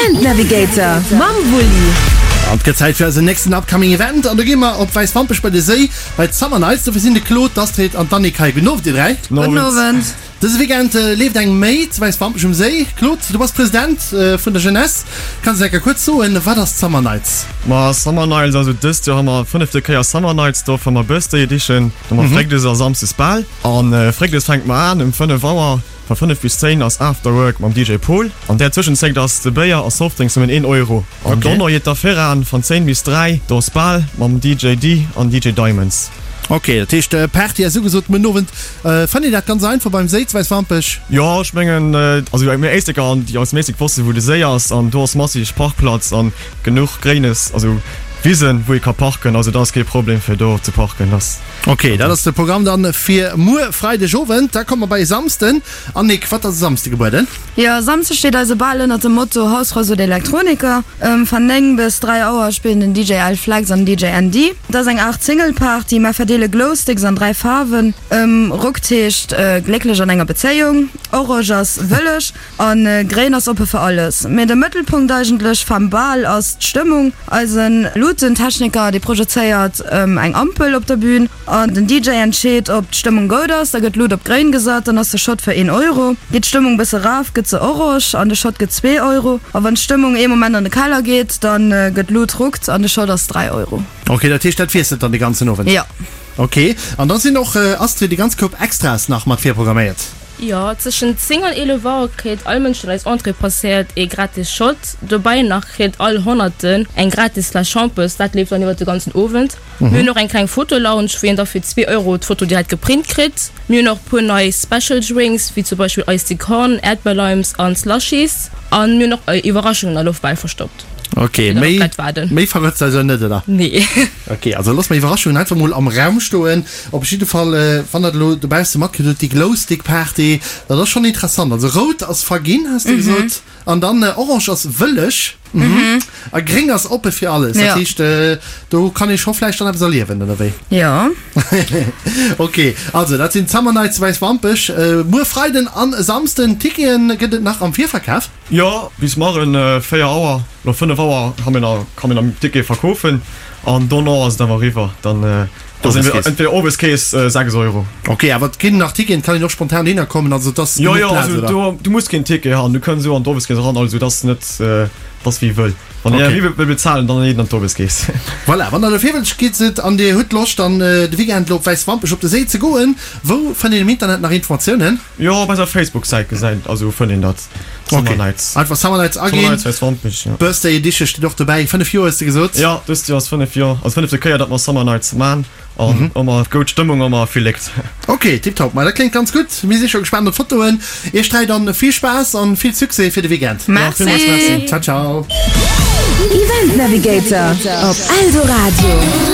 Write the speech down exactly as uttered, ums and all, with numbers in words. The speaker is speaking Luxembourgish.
Event Navigator mam Wulli. An et gëtt Zäit fir eisen nächsten upcoming Event an do gi mer op Wäiswampech bei de Séi bei d'Summer Nights. Dofir sinn de Claude, d'Astrid an d'Annick hei. Gudden Owend dir dräi. Gudden Owend. Dëse Weekend leeft eng Méi zu Wäiswampech um Séi. Claude, du bass President vun der Jeunesse. Kanns de enker kuerz soen, wat ass d'Summer Nights? Ma Summer Nights, also dëst Joer hu mer fënnefte Kéier Summer Nights, do hu mer Birthday Edition, do hu mer Fréckdes a Samsdes Bal. An Fréckdes fänkt mer an um fënnef Auer, va fënnef bis zéin ass Afterwork mam D J Paul. An där Zwëschenzéckt ass de Béier a Softdrinks nëmmen een Euro. An dono jeet da viran van zéin bis dräi, do ass Bal mam D J D an D J Diamonds. Ok, dat heescht Party ass ugesot muer Owend. Fannt Dir dat ganz einfach beim Séi zu Wäiswampech? Jo, ech mengen, also mir Éisleker an déi aus dem Éislek wossten, wou de Séi ass an do ass massig Parkplatz an genuch Gréines, also Wisen, wou ee ka parken, also dat ass kee Problem fir do ze parken. Dat. Ok, dat ass de Programm dann fir muer Freideg Owend. Da komme mer bei e Samsden. Annick, wat ass e Samsde gebueden? Jo, e Samsde steet eise Bal ënnert dem Motto Hausfrau sucht Elektroniker. Van néng bis dräi Auer spillen den D J Al Flex an den D J Andy. Et ass eng Aart Single-Party. Mer verdeele Glowsticks an dräi Faarwen. Rockt heescht glécklech an enger Bezéiung, Orange ass wëlleg an Gréin ass oppe fir alles. Mee de Mëttelpunkt eigentlech vam Bal ass d'Stëmmung. Eisen Luutentechniker, dee projezéiert eng Ampel op der Bühn an den D J entscheet, ob d'Stëmmung goud ass. Da gëtt d'Lut op Gréin gesat, dann ass de Shot fir een Euro. Geet d'Stëmmung bësse raf, gëtt se orange an de Shot gëtt zwee Euro. A wann d'Stëmmung ee Moment an de Keller geet, dann gëtt d'Lut ruckt an de Shot ass dräi Euro. Ok, dat heescht, dat wiesselt dann de ganzen Owend? Jo. Ok, an da sinn och, Astrid, déi ganz Koup Extras nach mat virprogramméiert? Jo, tëschent zéng an eelef Auer kritt all Mënsch, deen eis Entrée passéiert, ee gratis Shot. Dobäi nach kritt all Honnerten eng gratis Fläsch Schampes. Dat leeft dann iwwer de ganzen Owend. Mir hunn och eng kleng Fotolounge, wou een da fir zwee Euro d'Foto direkt geprint kritt. Mir hunn och puer nei Special Drinks, wéi zum Beispill Iced Tea Corn, Äerdbeerlimes an Slushies. An mir hunn och Iwwerraschungen a Loftbäll verstoppt. Ok, méi, méi verrëtzt also net, oder? Nee. Ok, also loosse mer Iwwerraschungen einfach mol am Raum stoen. Op jidde Fall, wann der elo dobausse matkritt hutt, déi Glowstick-Party, dat ass schonn interessant. Also rout ass verginn, has de gesot, an dann orange ass wëlleg, a gréng ass oppe fir alles. Dat heescht, do kann ee scho vläicht dann eppes erliewen, oder wéi? Jo. Ok, also dat sinn d'Summer Nights zu Wäiswampech, muer Freiden an e Samsden. Tickete gëtt et nach am Virverkaf. Jo, bis marren véier Auer oder fënnef Auer ha mir nach, kann mir nach Tickete verkoofen an dono ass et awer eriwwer. Dann ass entweder Oweskees sechs Euro. Ok, awer et ginn nach Ticketen, et kann een och spontan dohinner kommen, also et ass genuch Plaz, oder? Jo, jo, also du muss keen Ticket han, du kënns esou an d'Oweskees eran, also et ass net, et ass wie wëll. Wann een méi wëll bezahlen, dann een an d'Oweskees. Voilà, wann der elo virwëlzeg gitt sidd an dir hutt Loscht dann de Weekend elo op Wäiswampech op de Séi ze goen, wou fënnt een am Internet nach Informatiounen? Jo, op eiser Facebook-Säit gesäit, also fënnt een dat. Summer Nights. Einfach Summer Nights aginn. Summer Nights Wäiswampech, jo. Birthday Edition steet och dobäi. Fënnef Joer hues de gesot? Jo, dëst Joer ass fënnef Joer, also fënnefte Kéier, datt mer Summer Nights man. An ëmmer goud Stëmmung, ëmmer vill Léckt. Ok, tiptop. Ma dat kléngt ganz gutt. Mir si scho gespaant op d'Fotoen. Iech dräi dann vill Spaass an vill Succès fir de Weekend. Merci. Ciao, ciao. Event Navigator op Eldoradio.